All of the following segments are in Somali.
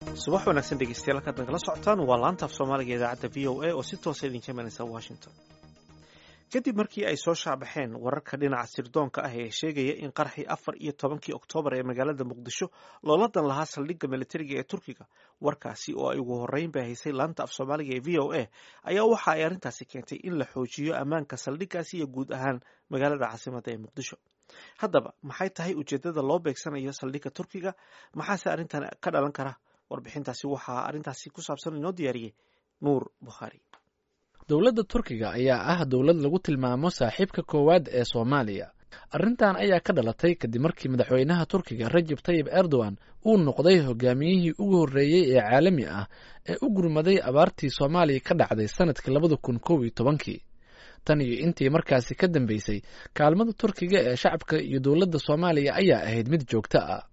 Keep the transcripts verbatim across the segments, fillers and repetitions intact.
Subax wanaagsan dhegeystayaal, halkaad nagala socotaan waa laanta af Soomaaliga idaacadda V O A oo si toosa idinka imanaysa Washington. Kadib markii ay soo shaabaxeen wararka dhinaca sirdoonka ah ee sheegaya in qaraxii afar iyo tobankii Oktoobar ee magaalada Muqdisho loola dan lahaa saldhigga militariga ee Turkiga, warkaasi oo ay ugu horreyn baahisay laanta af Soomaaliga ee V O A, ayaa waxa ay arrintaasi keentay in la xoojiyo ammaanka saldhiggaasi iyo guud ahaan magaalada caasimadda ee Muqdisho. Haddaba, maxay tahay ujeeddada loo beegsanayo saldhigga Turkiga? Maxaase arrintan ka dhalan kara? Warbixintaasi waxaa arrintaasi ku saabsan inoo diyaariyey Nuur Bukhaari. Dowladda Turkiga ayaa ah dowlad lagu tilmaamo saaxiibka koowaad ee Soomaaliya. Arrintan ayaa ka dhalatay kadib markii madaxweynaha Turkiga Rajab Tayib Erdogan uu noqday hogaamiyihii ugu horreeyey ee caalami ah ee u gurmaday abaartii Soomaaliya ka dhacday sanadkii labada kun kow iyo tobankii. Tan iyo intii markaasi ka dambeysay, kaalmada Turkiga ee shacabka iyo dowladda Soomaaliya ayaa ahayd mid joogto ah.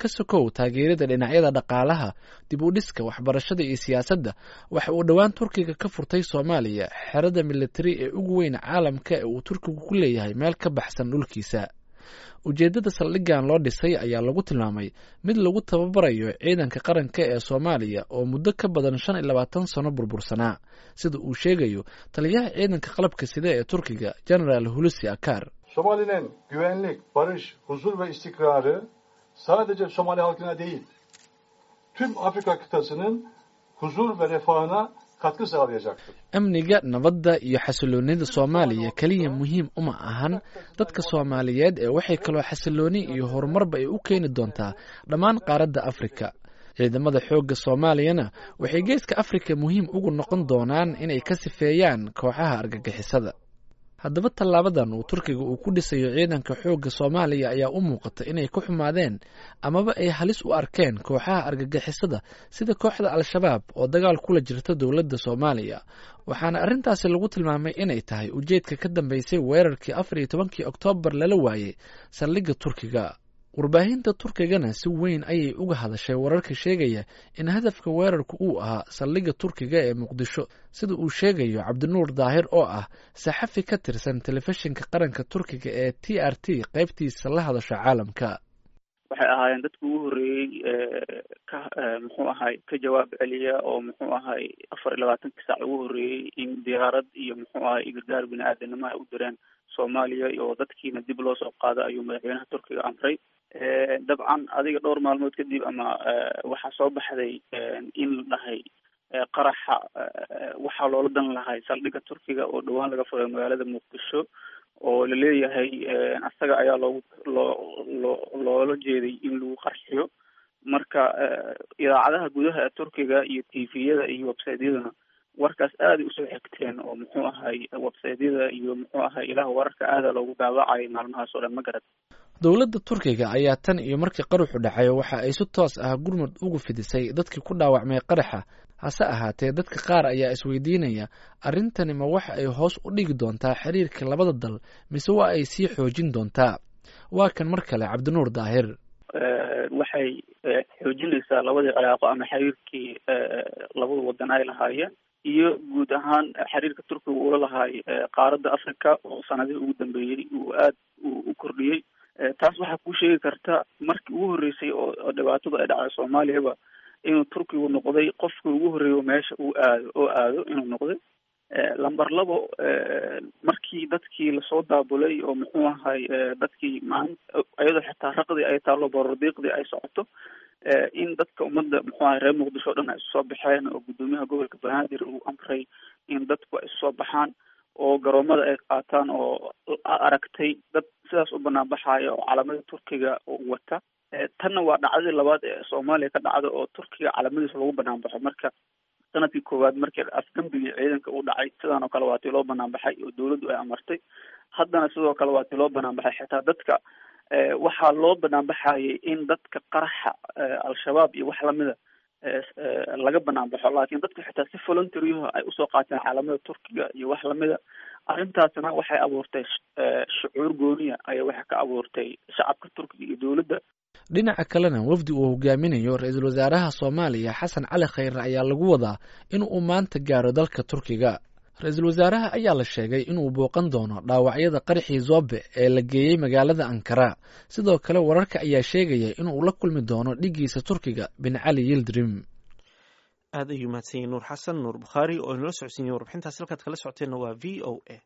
Ka sokow taageerada dhinacyada dhaqaalaha, dib u dhiska, waxbarashada iyo siyaasadda, waxa uu dhowaan Turkiga ka furtay Soomaaliya xerada militari ee ugu weyn caalamka ee uu Turkigu ku leeyahay meel ka baxsan dhulkiisa. Ujeeddada saldhiggan loo dhisay ayaa lagu tilmaamay mid lagu tababarayo ciidanka qaranka ee Soomaaliya oo muddo ka badan shan iyo labaatan sano burbursanaa, sida uu sheegayo taliyaha ciidanka qalabka sida ee Turkiga, Genaraal Hulusi Akar. Somali'nin güvenlik, barış, huzur ve istikrarı sadece Somali halkına değil, tüm Afrika kıtasının huzur ve refahına katkı sağlayacaktır. Amniga, nabadda iyo xasiloonida Soomaaliya keliya muhiim uma ahan dadka Soomaaliyeed ee waxay kaloo xasilooni iyo horumarba ay u keeni doontaa dhammaan qaaradda Afrika. Ciidamada xoogga Soomaaliyana waxay geeska Afrika muhiim ugu noqon doonaan inay ka sifeeyaan kooxaha argagixisada. Haddaba, tallaabadan uu Turkiga uu ku dhisayo ciidanka xoogga Soomaaliya ayaa u muuqata inay ku xumaadeen amaba ay halis u arkeen kooxaha argagixisada sida kooxda Al-Shabaab oo dagaal kula jirta dowladda Soomaaliya, waxaana arrintaasi lagu tilmaamay inay tahay ujeedka ka dambeysay weerarkii afar iyo tobankii Oktoobar lala waayey saldhigga Turkiga. Warbaahinta Turkigana si weyn ayay uga hadashay wararka sheegaya in hadafka weerarku uu ahaa saldhigga Turkiga ee Muqdisho, sida uu sheegayo Cabdinuur Daahir oo ah saxafi ka tirsan telefishinka qaranka Turkiga ee T R T qaybtiisa la hadasha caalamka. Waxay ahaayeen dadki ugu horreeyey ka muxuu ahay ka jawaab celiya oo muxuu ahay afar iyo labaatankii saac ugu horreeyey in diyaarad iyo muxuu ahay gargaar bini aadanimo ay u direen Soomaaliya oo dadkiina dib loo soo qaado ayuu madaxweynaha Turkiga amray. Dabcan, adiga dhowr maalmood kadib ama waxaa soo baxday in la dhahay qaraxa waxaa loola dan lahay saldhigga Turkiga oo dhowaan laga furay magaalada Muqdisho, oo laleeyahay asaga ayaa loogu loo loo loola jeeday in lagu qarxiyo. Marka idaacadaha gudaha ee Turkiga iyo T V-yada iyo website-yaduna warkaas aaday usoo xigteen, oo muxuu ahay website-yada iyo muxuu ahay ilaha wararka aada loogu daawacayay maalmahaas oo dhan, ma garad? Dowladda Turkiga ayaa tan iyo markii qaraxu dhacay waxa ay si toos ah gurmud ugu fidisay dadkii ku dhaawacmay qaraxa. Hase ahaatee, dadka qaar ayaa isweydiinaya, arrintani ma waxa ay hoos u dhigi doontaa xiriirka labada dal mise waa ay sii xoojin doontaa? Waa kan mar kale Cabdinuur Daahir. Waxay xoojinaysaa labadii cilaaqo ama xiriirkii labada wadan ay lahaayeen iyo guud ahaan xiriirka Turkiga uula lahaay qaaradda Africa oo sanadihii ugu dambeeyey uu aad u kordhiyey. Taas waxaa kuu sheegi karta markii ugu horreysay oo dhibaatadu ay dhacday Soomaaliyaba inuu Turkigu noqday qofkii ugu horreeyo meesha uu aado oo aado inuu noqday number labo. Markii dadkii lasoo daabulay oo muxuu ahay dadkii maalin iyadoo xitaa raqdii ay taallo, borordiiqdii ay socoto, in dadka ummadda muxuu ahay reer Muqdisho o dhan ay isu soo baxeen oo guddoomiyaha gobolka Banaadir uu amray in dadku ay isu soo baxaan oo garoomada ay qaataan, oo aragtay dad sidaas u banaan baxaaya oo calamada Turkiga wata. Tanna waa dhacdadii labaad ee Soomaaliya ka dhacda oo Turkiga calamadiisa lagu banaan baxo. Marka sanadkii koowaad markii afgambigii ciidanka uu dhacay, sidaan oo kale waa tii loo banaan baxay oo dawladdu ay amartay. Haddana sidoo kale waa tii loo banaan baxay. Xitaa dadka waxaa loo banaan baxayay in dadka qaraxa Al-Shabaab iyo wax lamida laga banaan baxo, laakiin dadku xitaa si voluntary ay usoo qaateen caalamada Turkiga iyo wax lamida. Arrintaasna waxay abuurtay shucuur gooniya ayaa waxay ka abuurtay shacabka Turkiga iyo dowladda. Dhinaca kalena, wafdi uu hogaaminayo ra-iisul wasaaraha Soomaaliya Xasan Cali Khayre ayaa lagu wadaa in uu maanta gaaro dalka Turkiga. Ra-iisul wasaaraha ayaa la sheegay inuu booqan doono dhaawacyada qaraxii Zobe ee la geeyey magaalada Ankara. Sidoo kale wararka ayaa sheegaya inuu la kulmi doono dhiggiisa Turkiga Bin Cali Yildirim. Aad ayuu mahadsan yahay Nuur Xasan Nuur Bukhaari oo inala socodsiinayay warbixintaas. Halkaad kala socoteenna waa V O A.